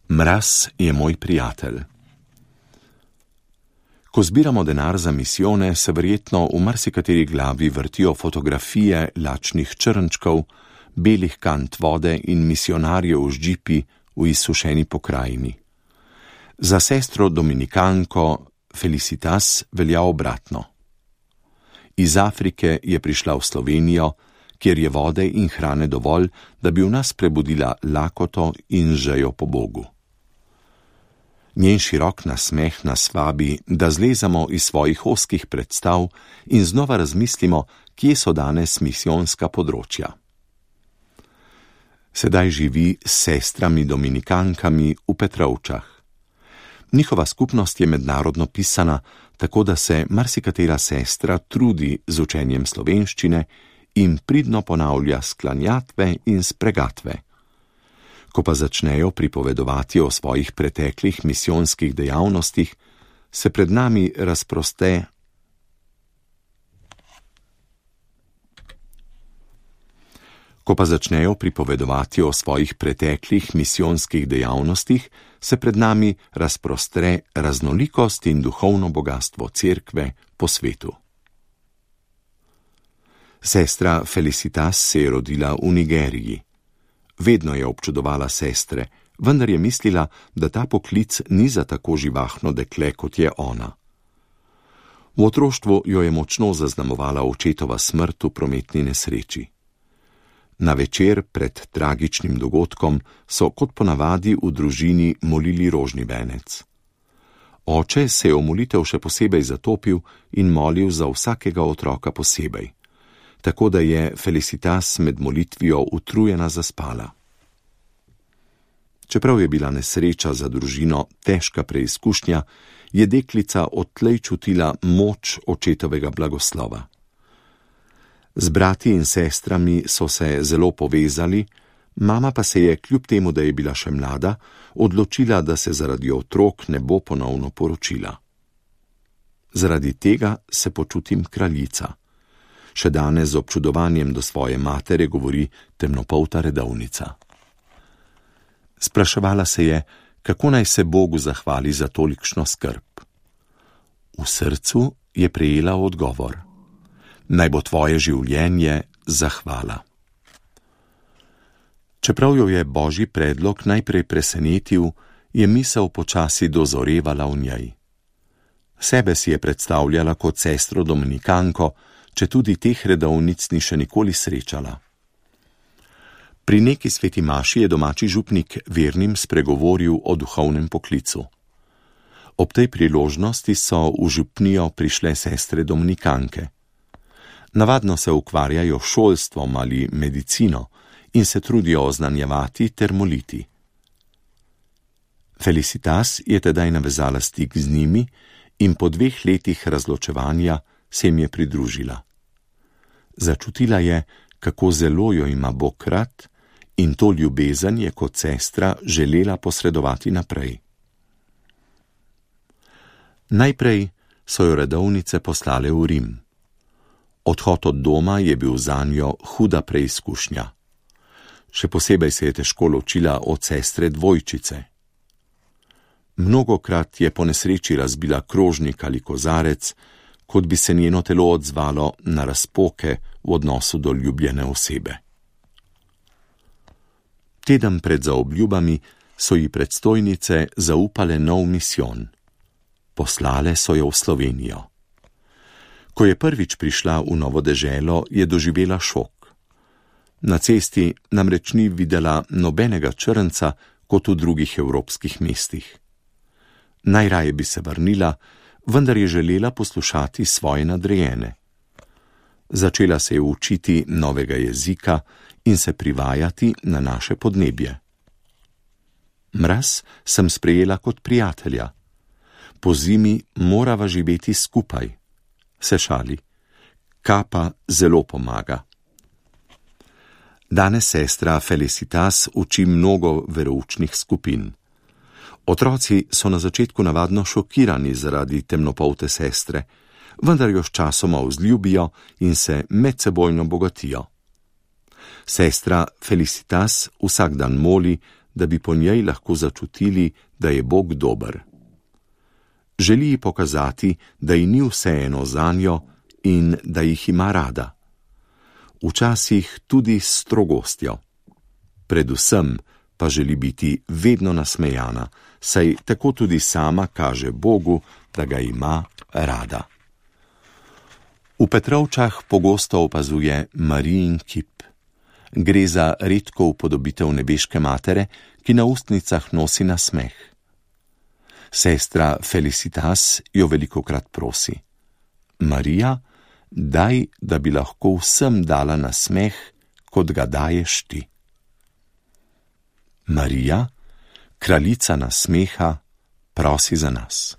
Mraz je moj prijatelj. Ko zbiramo denar za misijone, se verjetno v marsikateri glavi vrtijo fotografije lačnih črnčkov, belih kant vode in misionarjev z džipi v izsušeni pokrajini. Za sestro Dominikanko Felicitas velja obratno. Iz Afrike je prišla v Slovenijo, kjer je vode in hrane dovolj, da bi v nas prebudila lakoto in žejo po Bogu. Njen širok nasmeh nas vabi, da zlezamo iz svojih ozkih predstav in znova razmislimo, kje so danes misijonska področja. Sedaj živi s sestrami Dominikankami v Petrovčah. Njihova skupnost je mednarodno pisana, tako da se marsikatera sestra trudi z učenjem slovenščine in pridno ponavlja sklanjatve in spregatve. Ko pa začnejo pripovedovati o svojih preteklih misijonskih dejavnostih, se pred nami razproste raznolikost in duhovno bogatstvo cerkve po svetu. Sestra Felicitas se je rodila v Nigeriji. Vedno je občudovala sestre, vendar je mislila, da ta poklic ni za tako živahno dekle, kot je ona. V otroštvu jo je močno zaznamovala očetova smrt v prometni nesreči. Na večer pred tragičnim dogodkom so kot ponavadi v družini molili rožni venec. Oče se je v molitev še posebej zatopil in molil za vsakega otroka posebej, tako da je Felicitas med molitvijo utrujena zaspala. Čeprav je bila nesreča za družino težka preizkušnja, je deklica odtlej čutila moč očetovega blagoslova. Z brati in sestrami so se zelo povezali, mama pa se je, kljub temu, da je bila še mlada, odločila, da se zaradi otrok ne bo ponovno poročila. Zaradi tega se počutim kraljica. Še danes z občudovanjem do svoje matere govori temnopolta redovnica. Spraševala se je, kako naj se Bogu zahvali za tolikšno skrb. V srcu je prejela odgovor: naj bo tvoje življenje zahvala. Čeprav jo je Božji predlog najprej presenetil, je misel počasi dozorevala v njej. Sebe si je predstavljala kot sestro Dominikanko, če tudi teh redovnic ni še nikoli srečala. Pri neki sveti maši je domači župnik vernim spregovoril o duhovnem poklicu. Ob tej priložnosti so v župnijo prišle sestre Dominikanke. Navadno se ukvarjajo šolstvom ali medicino in se trudijo oznanjevati ter moliti. Felicitas je tedaj navezala stik z njimi in po 2 letih razločevanja se jim je pridružila. Začutila je, kako zelo jo ima Bog rad, in to ljubezen je kot sestra želela posredovati naprej. Najprej so jo redovnice poslale v Rim. Odhod od doma je bil zanjo huda preizkušnja. Še posebej se je težko ločila od sestre dvojčice. Mnogokrat je po nesreči razbila krožnik ali kozarec, kot bi se njeno telo odzvalo na razpoke v odnosu do ljubljene osebe. Teden pred zaobljubami so ji predstojnice zaupale nov misijon. Poslale so jo v Slovenijo. Ko je prvič prišla v novo deželo, je doživela šok. Na cesti namreč ni videla nobenega črnca kot v drugih evropskih mestih. Najraje bi se vrnila, vendar je želela poslušati svoje nadrejene. Začela se je učiti novega jezika in se privajati na naše podnebje. Mraz sem sprejela kot prijatelja. Po zimi morava živeti skupaj. Se šali. Kapa zelo pomaga. Danes sestra Felicitas uči mnogo veroučnih skupin. Otroci so na začetku navadno šokirani zaradi temnopolte sestre, vendar jo sčasoma vzljubijo in se medsebojno bogatijo. Sestra Felicitas vsak dan moli, da bi po njej lahko začutili, da je Bog dober. Želi ji pokazati, da ji ni vseeno zanjo in da jih ima rada. Včasih tudi s strogostjo. Predvsem pa želi biti vedno nasmejana, saj tako tudi sama kaže Bogu, da ga ima rada. V Petrovčah pogosto opazuje Marijin kip. Gre za redko upodobitev nebeške matere, ki na ustnicah nosi nasmeh. Sestra Felicitas jo velikokrat prosi: Marija, daj, da bi lahko vsem dala nasmeh, kot ga daješ ti. Marija, kraljica nasmeha, prosi za nas.